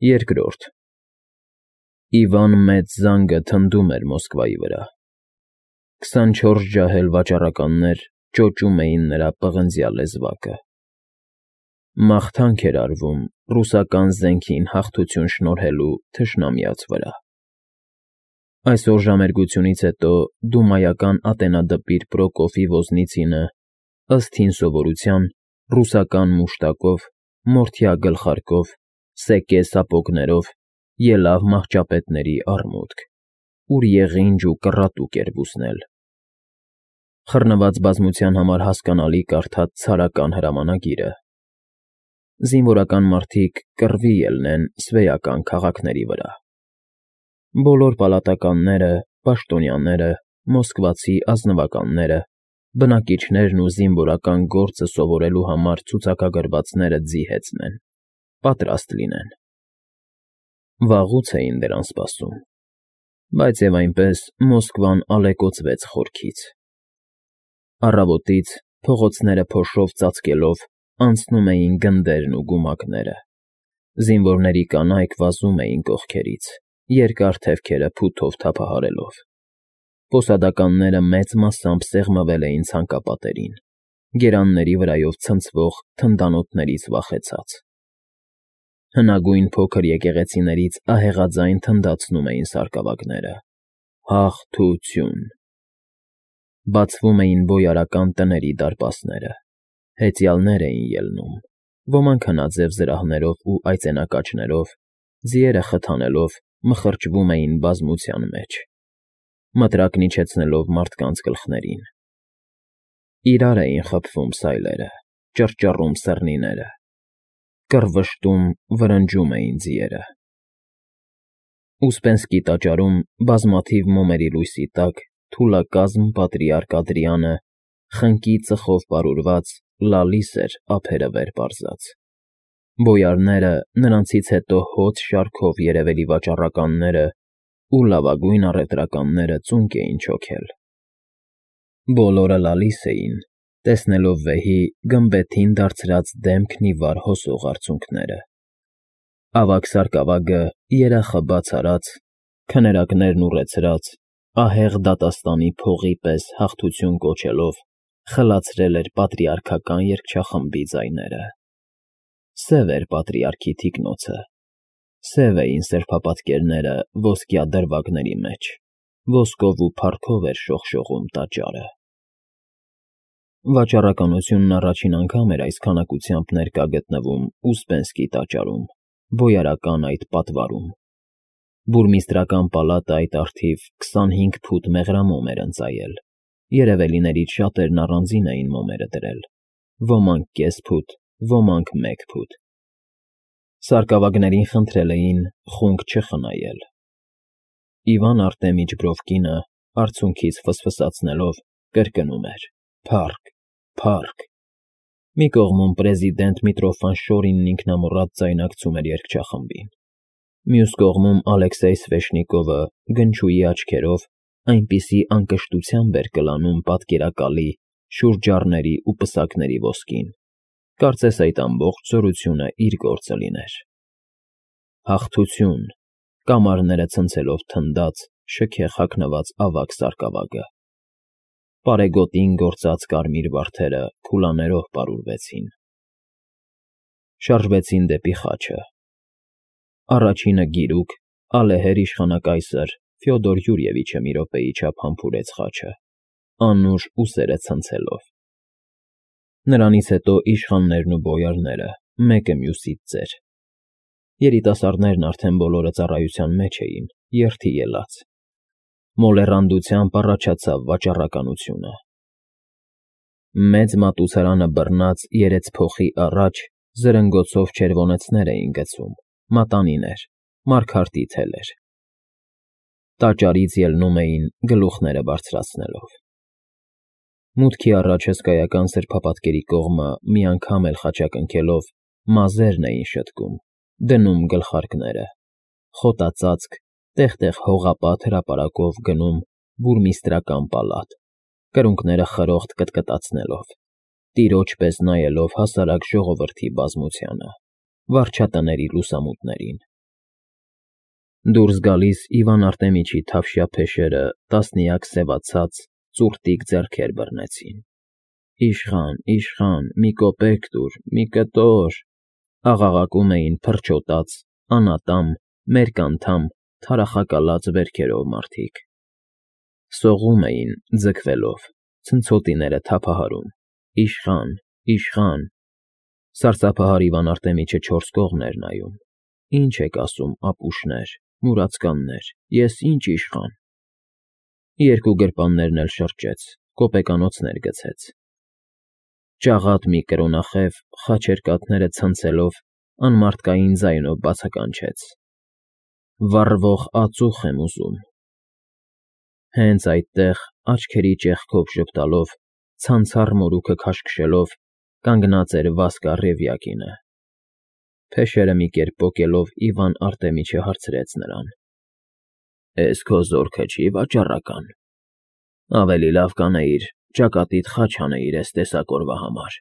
Երկրորդ Իվան մեծ զանգը թնդում էր Մոսկվայի վրա։ 24 ջահել վաճառականներ ճոճում էին նրա պղնձյա լեզվակը։ Մաղթանք էր արվում ռուսական զենքին հաղթություն շնորհելու թշնամյաց վրա։ Այսօր ժամերգությունից հետո դումայական ատենադպիր Պրոկոֆի ոզնիցինը, ըստ հին սովորության, ռուսական մուշտակով, մորթյա գլխարկով, սեկե սապոգներով ելավ մահճապետների առմուտք, ուր եղինջ ու կռատուկ էր բուսնել։ Խռնված բազմության համար հասկանալի կարդաց ցարական հրամանագիրը։ Զինվորական մարդիկ կռվի ելնեն սվեյական քաղաքների վրա։ Բոլոր պալատականները, պաշտոնյաները, մոսկվացի ազնվականները, բնակիչներն ու զինվորական գործը սովորելու համար ցուցակագրվածները ձիհեցնեն, պատրաստ լինեն։ Վաղուց էին դրան սպասում, բայց և այնպես Մոսկվան ալեկոծվեց խորքից։ Առավոտից, փողոցները փոշով ծածկելով, անցնում էին գնդերն ու գումակները։ Զինվորների կանայք վազում էին կողքերից, երկար թևքերը փութով թափահարելով։ Պոսադականները մեծ մասամբ սեղմվել էին ցանկապատերին, գերանների վրայով ցնցվող թնդանոթներից վախեցած։ Հնագույն փոքր եկեղեցիներից ահեղաձայն թնդացնում էին սարկավագները. «Հաղթություն»։ Բացվում էին բոյարական տների դարպասները, հեծյալներ էին ելնում, ոմանք հնաձև զրահներով ու այծենակաչներով, ձիերը խթանելով, մխրճվում էին բազմության մեջ, մտրակն իջեցնելով մարդկանց գլխներին։ Իրար էին խփվում սայլերը, ճռճռում սռնիները, կռվշտում, վրնջում էին ձիերը։ Ուսպենսկի տաճարում, բազմաթիվ մոմերի լույսի տակ, թուլակազմ պատրիարք Ադրիանը, խնկի ծխով պարուրված, լալիս էր ափերը վեր պարզած։ Բոյարները, նրանցից հետո հոծ շարքով երևելի վաճառականները ու լավագույն առևտրականները ծունկ էին չոքել։ Բոլորը լալիս էին, տեսնելով վեհի գմբեթին դարձրած դեմքն ի վար հոսող արցունքները։ Ավագ սարկավագը, երախը բաց արած, քներակներն ուռեցրած, ահեղ դատաստանի փողի պես հաղթություն կոչելով, խլացրել էր պատրիարքական երգչախմբի ձայները։ Սև էր պատրիարքի թիկնոցը, սև էին սրբապատկերները ոսկյա դրվագների մեջ, ոսկով ու փառքով էր շողշողում տաճարը։ Վաճառականությունն առաջին անգամ էր այս քանակությամբ ներկա գտնվում Ուսպենսկի տաճարում, բոյարական այդ պատվարում։ Բուրմիստրական պալատը այդ առթիվ 25 ֆուտ մեղրամոմ էր ընծայել, երևելիներից շատերն առանձին էին մոմերը դրել, ոմանք կես ֆուտ, ոմանք 1 ֆուտ։ Սարկավագներին խնդրել էին խունկ չխնայել։ Իվան Արտեմիչ Բրովկինը, արցունքից ֆսֆսացնելով, կրկնում էր. «Փառք, փառք»։ Մի կողմում պրեզիդենտ Միտրոֆան ինքնամոռատ ձայնակցում էր երգչախմբին։ Մյուս կողմում Ալեքսեյ Սվեշնիկովը գնչուի աչքերով այնպիսի անկշտությամբ էր կլանում պատկերակալի, շուրջառների ու պսակների ոսկին, կարծես այդ ամբողջ զորությունը իր գործը լիներ։ Հաղթություն, կամարները ցնցելով թնդաց, շքեղ հագնված ավագ սարկավագը։ Պարեգոտին գործած կարմիր վարդերը քուլաներով պարուրվեցին։ Շարժվեցին դեպի խաչը։ Առաջինը գիրուկ, ալեհեր իշխանակայսր Ֆյոդոր Յուրիևիչը մի րոպեի չափ համբուրեց խաչը, անուշ ուսերը ցնցելով։ Նրանից հետո իշխաններն ու բոյարները, մեկը մյուսից ծեր։ Երիտասարդներն արդեն բոլորը ծառայության մեջ էին, երթի ելած։ Մոլեռանդությամբ առաջացավ վաճառականությունը։ Մեծ մատուցարանը բռնած երեցփոխի առաջ զրնգոցով չերվոնեցներ էին գցում, մատանիներ, մարգարտի թելեր։ Տաճարից ելնում էին գլուխները բարձրացնելով։ Մուտքի առաջ հսկայական սրբապատկերի կողմը մի անգամ էլ խաչակնքելով մազերն էին շտկում, դնում գլխարկները, խոտածածկ, տեղ֊տեղ հողապատ հրապարակով գնում բուրմիստրական պալատ, կրունկները խրոխտ կտկտացնելով, տիրոջ պես նայելով հասարակ ժողովրդի բազմությանը, վարչատների լուսամուտներին, Դուրս գալիս Իվան Արտեմիչի թավշյա փեշերը տասնյակ սևացած ծուռտիկ ձեռքեր բռնեցին։ Իշխան, իշխան, մի կոպեկ տուր, մի կտոր, աղաղակում էին փրչոտած, անատամ, մերկանդամ, թարախակալած վերքերով մարդիկ։ Սողում էին, ձգվելով, ցնցոտիները թափահարում. Իշխան, իշխան… Սարսափահար Իվան Արտեմիչը չորս կողմ էր նայում. Ինչ եք ասում, ապուշներ, մուրացկաններ, ես ինչ իշխան… Երկու գրպաններն էլ շրջեց, կոպեկանոցներ գցեց։ Ճաղատ մի կրոնախև խաչերկաթները ցնցելով անմարդկային ձայնով բացականչեց. Վառվող ածուխ եմ ուզում… Հենց այդտեղ, աչքերի ճեղքով ժպտալով, ցանցառ մորուքը քաշքշելով, կանգնած էր Վասկա Ռևյակինը։ Փեշերը մի կերպ պոկելով Իվան Արտեմիչը հարցրեց նրան. Էս քո զորքը չի վաճառական… Ավելի լավ կանեիր ճակատիդ խաչ անեիր էս տեսակ օրվա համար…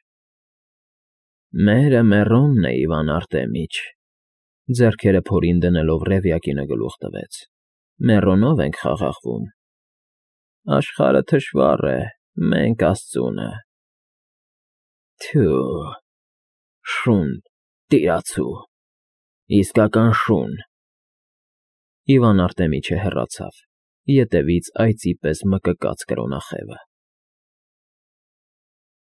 Մերը մեռոնն է, Իվան Արտեմիչ… Ձեռքերը փորին դնելով Ռևյակինը գլուխ տվեց. Մեռոնով ենք խաղաղվում… Աշխարհը թշվառ է, մենք աստծունը… Թյո՜ւ… Շուն… տիրացու… Իսկական շուն… Իվան Արտեմիչը հեռացավ, ետևից այծի պես մկկաց կրոնախևը։